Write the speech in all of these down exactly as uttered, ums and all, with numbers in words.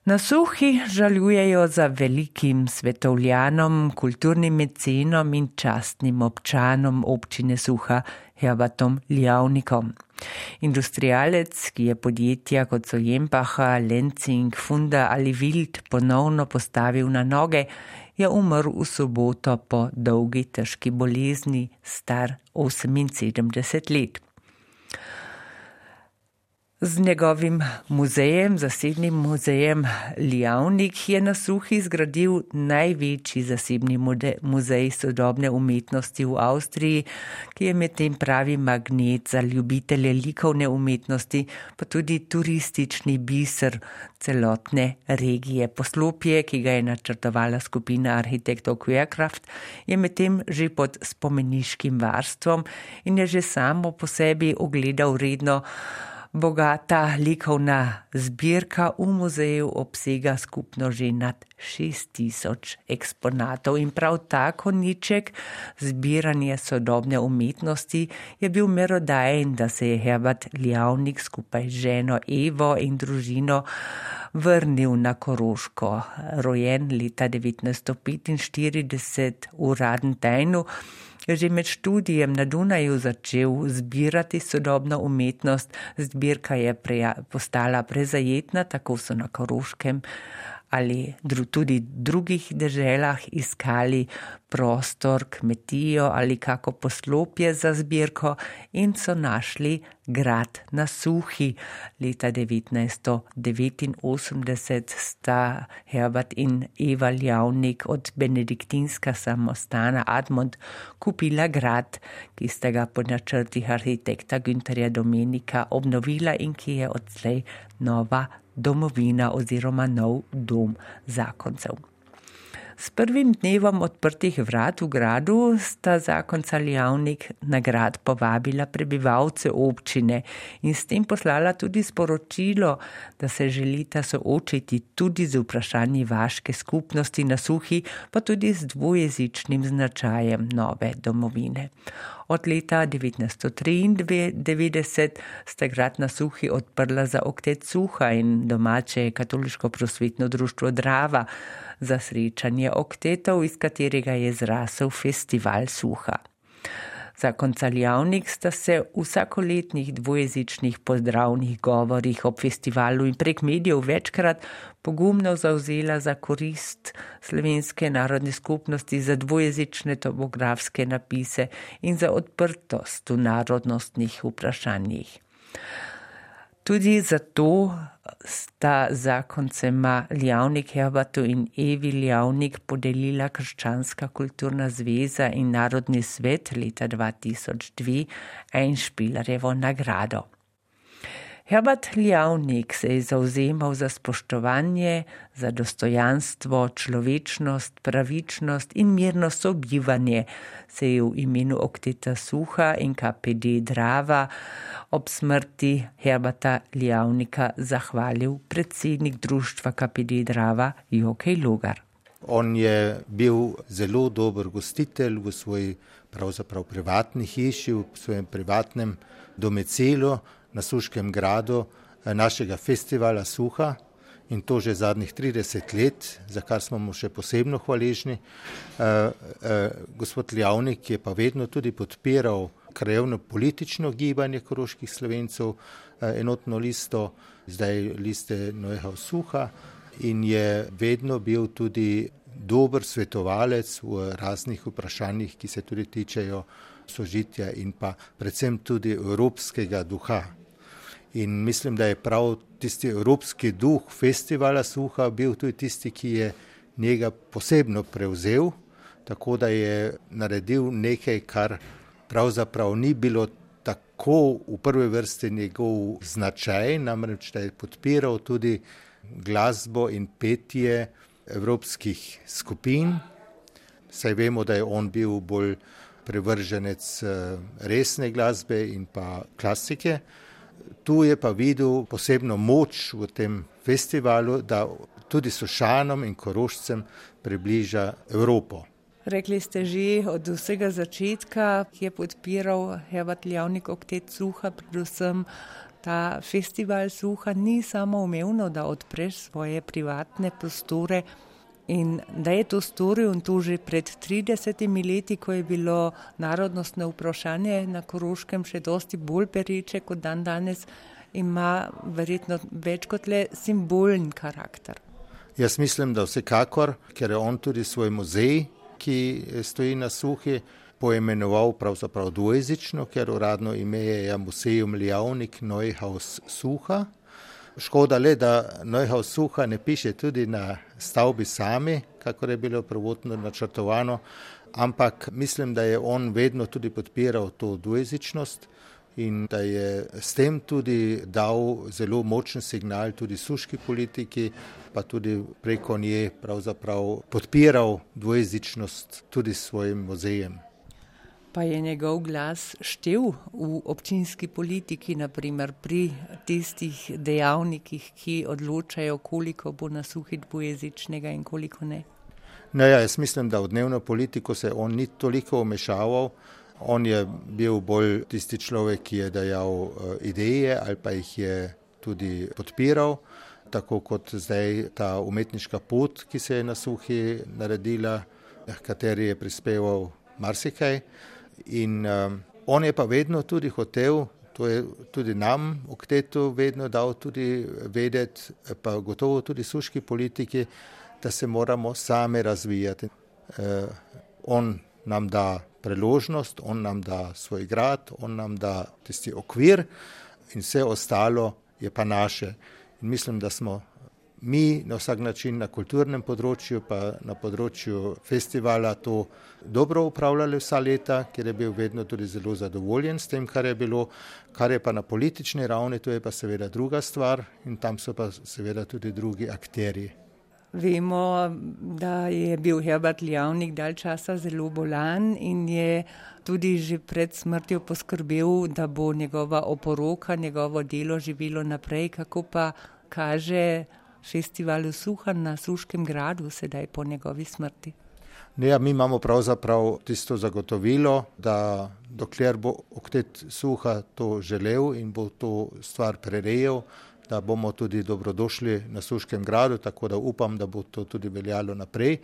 Na Suhi žalujejo za velikim svetovljanom, kulturnim mecenom in častnim občanom občine Suha Herbertom Lijavnikom. Industrialec, ki je podjetja kot so Jempacha, Lenzing, Funda ali Wild ponovno postavil na noge, je umrl v soboto po dolgi težki bolezni, star oseminsedemdeset let. Z njegovim muzejem, zasebnim muzejem Lijavnik, je na Suhi zgradil največji zasebni muzej sodobne umetnosti v Avstriji, ki je medtem pravi magnet za ljubitelje likovne umetnosti, pa tudi turistični biser celotne regije. Poslopje, ki ga je načrtovala skupina arhitektov Querkraft, je medtem že pod spomeniškim varstvom in je že samo po sebi ogleda vredno. Bogata likovna zbirka v muzeju obsega skupno že nad šest tisoč eksponatov in prav ta konjiček zbiranje sodobne umetnosti je bil merodajen, da se je Herbert Lijavnik skupaj z ženo Evo in družino vrnil na Koroško. Rojen leta devetnajststo petinštirideset v Radentajnu, je že med študijem na Dunaju začel zbirati sodobno umetnost. Zbirka je preja, postala prezajetna, tako so na Koroškem ali dru, tudi drugih deželah iskali prostor, kmetijo ali kako poslopje za zbirko in so našli grad na Suhi. Leta devetnajststo devetinosemdeset sta Herbert in Eva Lijavnik od benediktinska samostana Admont kupila grad, ki sta ga po načrtih arhitekta Günterja Domenika obnovila in ki je odslej nova domovina oziroma nov dom zakoncev. S prvim dnevom odprtih vrat v gradu sta zakonca Lijavnik na grad povabila prebivalce občine in s tem poslala tudi sporočilo, da se želita soočiti tudi z vprašanji vaške skupnosti na Suhi, pa tudi z dvojezičnim značajem nove domovine. Od leta devetnajststo triindevetdeset sta grad na Suhi odprla za oktet Suha in domače katoliško prosvetno društvo Drava za srečanje oktetov, iz katerega je zrasel festival Suha. Zakonca Lijavnik sta se v vsakoletnih dvojezičnih pozdravnih govorih ob festivalu in prek medijev večkrat pogumno zavzela za korist slovenske narodne skupnosti, za dvojezične topografske napise in za odprtost v narodnostnih vprašanjih. Tudi zato sta zakoncema Lijavnik Herbertu in Evi Lijavnik podelila Krščanska kulturna zveza in Narodni svet leta dva tisoč dve Einspielerjevo nagrado. Herbert Lijavnik se je zavzemal za spoštovanje, za dostojanstvo, človečnost, pravičnost in mirno sobivanje, se je v imenu okteta Suha in K P D Drava ob smrti Herberta Lijavnika zahvalil predsednik društva K P D Drava Jokej Logar. On je bil zelo dober gostitelj v svoji pravzaprav privatni hiši, v svojem privatnem domicilu na Suškem gradu našega festivala Suha in to že zadnjih trideset let, za kar smo mu še posebno hvaležni. E, e, gospod Lijavnik je pa vedno tudi podpiral krajevno politično gibanje koroških Slovencev, e, enotno listo, zdaj liste Neuhaus Suha, in je vedno bil tudi dober svetovalec v raznih vprašanjih, ki se tudi tičejo sožitja in pa predvsem tudi evropskega duha. In mislim, da je prav tisti evropski duh festivala Suha bil tudi tisti, ki je njega posebno prevzel, tako da je naredil nekaj, kar pravzaprav ni bilo tako v prvi vrsti njegov značaj, namreč da je podpiral tudi glasbo in petje evropskih skupin. Saj vemo, da je on bil bolj privrženec resne glasbe in pa klasike. Tu je pa videl posebno moč v tem festivalu, da tudi Sošanom in Korošcem približa Evropo. Rekli ste že od vsega začetka, ki je podpiral Herbert Lijavnik oktet Suha, predvsem ta festival Suha ni samoumevno, da odpreš svoje privatne prostore in da je to storil in to že pred tridesetimi leti, ko je bilo narodnostno vprašanje na Koroškem še dosti bolj pereče kot dan danes, ima verjetno več kot le simbolen karakter. Jaz mislim, da vsekakor, ker je on tudi svoj muzej, ki stoji na Suhi, poimenoval pravzaprav dvojezično, ker uradno ime je Museum Lijavnik Neuhaus Suha. Škoda le, da Neuhaus Suha ne piše tudi na stavbi sami, kakor je bilo prvotno načrtovano, ampak mislim, da je on vedno tudi podpiral to dvojezičnost in da je s tem tudi dal zelo močen signal tudi suški politiki, pa tudi preko nje pravzaprav podpiral dvojezičnost tudi s svojim muzejem. Pa je njegov glas štel v občinski politiki, naprimer pri tistih dejavnikih, ki odločajo, koliko bo na Suhi dvojezičnega in koliko ne? No ja, jaz mislim, da v dnevno politiko se on ni toliko vmešaval. On je bil bolj tisti človek, ki je dajal ideje ali pa jih je tudi podpiral, tako kot zdaj ta umetniška pot, ki se je na Suhi naredila, kateri je prispeval marsikaj. In um, on je pa vedno tudi hotel, to je tudi nam v Ktetu vedno dal tudi vedeti, pa gotovo tudi suški politiki, da se moramo sami razvijati. Uh, on nam da priložnost, on nam da svoj grad, on nam da tisti okvir in vse ostalo je pa naše. In mislim, da smo mi na vsak način na kulturnem področju pa na področju festivala to dobro upravljali vsa leta, ker je bil vedno tudi zelo zadovoljen s tem, kar je bilo, kar je pa na politični ravni, to je pa seveda druga stvar in tam so pa seveda tudi drugi akterji. Vemo, da je bil Herbert Lijavnik dalj časa zelo bolan in je tudi že pred smrtjo poskrbel, da bo njegova oporoka, njegovo delo živelo naprej, kako pa kaže festivalu Suha na Suškem gradu sedaj po njegovi smrti. Ne, mi imamo pravzaprav tisto zagotovilo, da dokler bo Oktet Suha to želel in bo to stvar prerejal, da bomo tudi dobrodošli na Suškem gradu, tako da upam, da bo to tudi veljalo naprej.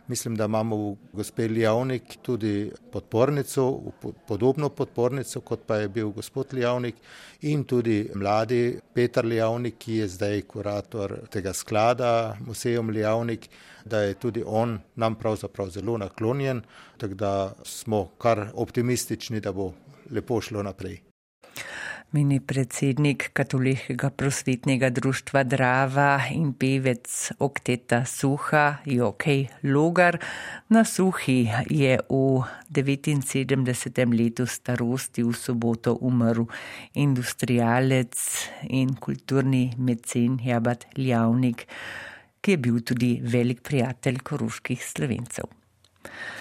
Mislim, da imamo v gospe Lijavnik tudi podpornico, podobno podpornico, kot pa je bil gospod Lijavnik in tudi mladi Petar Lijavnik, ki je zdaj kurator tega sklada Museum Lijavnik, da je tudi on nam pravzaprav zelo naklonjen, tako da smo kar optimistični, da bo lepo šlo naprej. Meni predsednik Katoliškega prosvetnega društva Drava in pevec Okteta Suha, Jokej Logar. Na Suhi je v devetinsedemdesetem letu starosti v soboto umrl industrialec in kulturni mecen Herbert Lijavnik, ki je bil tudi velik prijatelj koroških Slovencev.